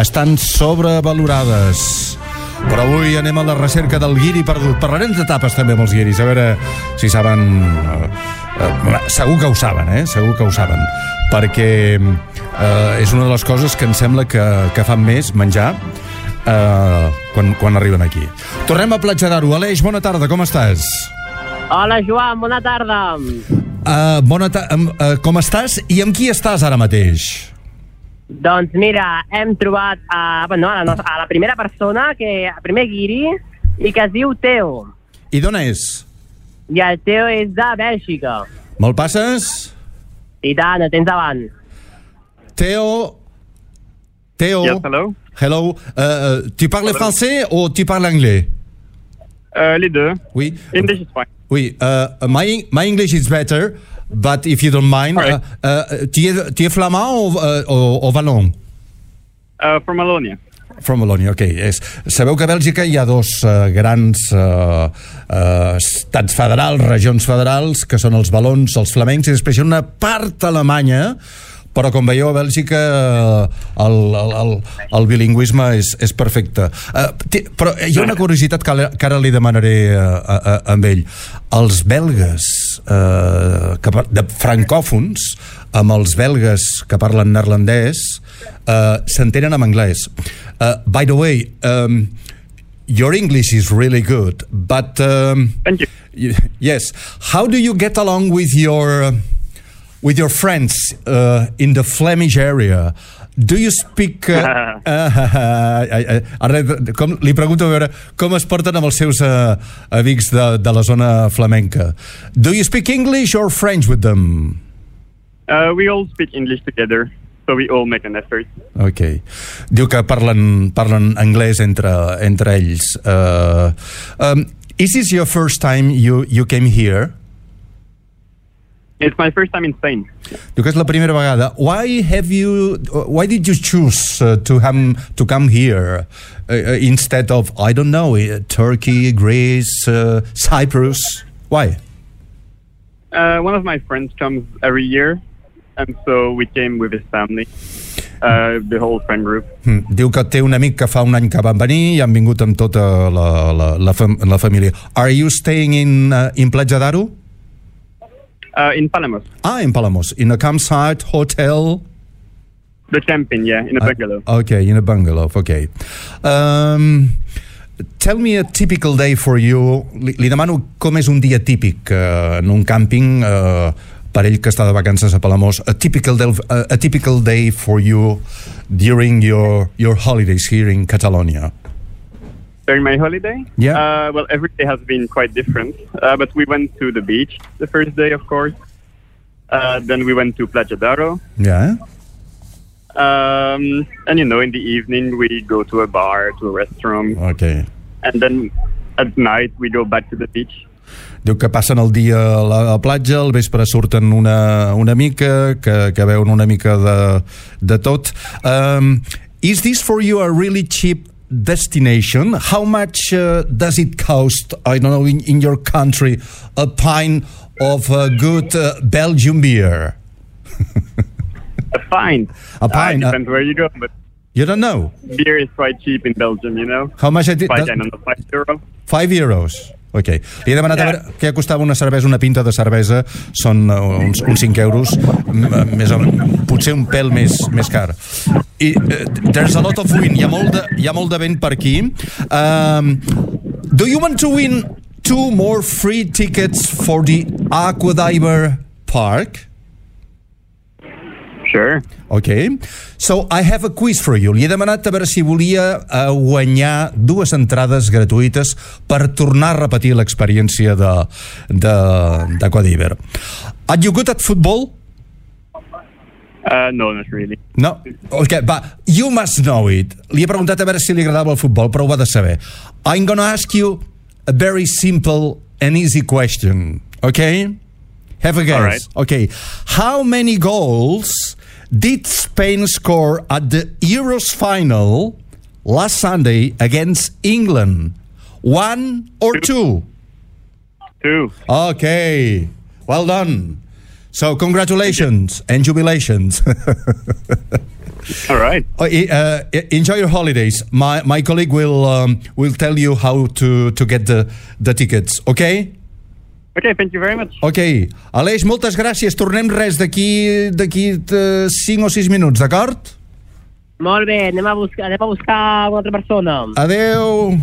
estan sobrevalorades. Però avui anem a la recerca del guiri perdut. Parlarem d'etapes també amb els guiris, a veure si saben... segur que ho saben, segur que ho saben, perquè és una de les coses que em sembla que fan més menjar quan arriben aquí. Tornem a Platja d'Aro. Aleix, bona tarda, com estàs? Hola, Joan, bona tarda. Com estàs i amb qui estàs ara mateix? Doncs mira, hem trobat a la primera persona, el primer guiri, i que es diu Teo. I d'on és? I el Teo és de Bèlgica. Me'l passes? I tant, el tens davant. Teo? Yes, hello. Hello. Tu parles français ou tu parles anglais? Les deux. Oui. English is fine. Oui. My English is better, but if you don't mind, right. Tu es flamand o wallon? From Wallonia. From Wallonia, ok. Sabeu que a Bèlgica hi ha dos grans estats federals, regions federals, que són els valons, els flamencs, i després hi ha una part alemanya, però com veieu a Bèlgica el bilingüisme és perfecte. Però hi ha una curiositat que ara li demanaré a ell. Els belgues de francòfons amb els belgues que parlen neerlandès s'entenen en anglès. By the way, your English is really good, but thank you. Yes, how do you get along with your friends in the Flemish area? Do you speak... li pregunto a veure com es porten amb els seus amics de la zona flamenca. Do you speak English or French with them? We all speak English together, so we all make an effort. Ok. Diu que parlen anglès entre ells. Is this your first time you came here? It's my first time in Spain. Diu que és la primera vegada. Why did you choose to come here instead of, I don't know, Turkey, Greece, Cyprus? Why? One of my friends comes every year, and so we came with his family, the whole friend group. Diu que té un amic que fa un any que van venir i han vingut amb tota la família. Are you staying in Platja d'Aro? In Palamos. In Palamos. In a campsite, hotel? The camping, yeah, in a bungalow. Okay, in a bungalow, okay. Tell me a typical day for you. Li demano com és un dia típic en un càmping per ell que està de vacances a Palamós. A typical day for you during your holidays here in Catalonia. During my holiday? Yeah. Well, every day has been quite different. But we went to the beach the first day, of course. Then we went to Platja d'Aro. Yeah. And, in the evening we go to a bar, to a restaurant. Okay. And then at night we go back to the beach. Diu que passen el dia a la platja, al vespre surten una mica, que veuen una mica de tot. Is this for you a really cheap destination? How much does it cost, I don't know, in your country, a pint of good Belgian beer? A pint. Depends where you go, but you don't know. Beer is quite cheap in Belgium, How much it is? 5 euros. 5 euros. Ok. Li he demanat a veure què costava una pinta de cervesa. Són uns 5 euros, més o menys, potser un pèl més car. I there's a lot of wind. Hi ha molt de vent per aquí. Do you want to win 2 more free tickets for the Aquadiver Park? Sure. Okay. So I have a quiz for you. Li he demanat a veure si volia guanyar 2 entrades gratuïtes per tornar a repetir l'experiència d'Aquadiver. Are you good at football? No, not really. No? Okay, but you must know it. Li he preguntat a veure si li agradava el futbol, però ho ha de saber. I'm gonna ask you a very simple and easy question. Okay? Have a guess. All right. Okay. How many goals did Spain score at the Euros final last Sunday against England? 1 or 2? 2. Okay. Well done. So congratulations and jubilations. All right. Enjoy your holidays. My colleague will tell you how to get the tickets, okay? Okay, thank you very much. Ok. Aleix, moltes gràcies. Tornem d'aquí 5 o 6 minuts, d'acord? Molt bé, anem a buscar una altra persona. Adeu.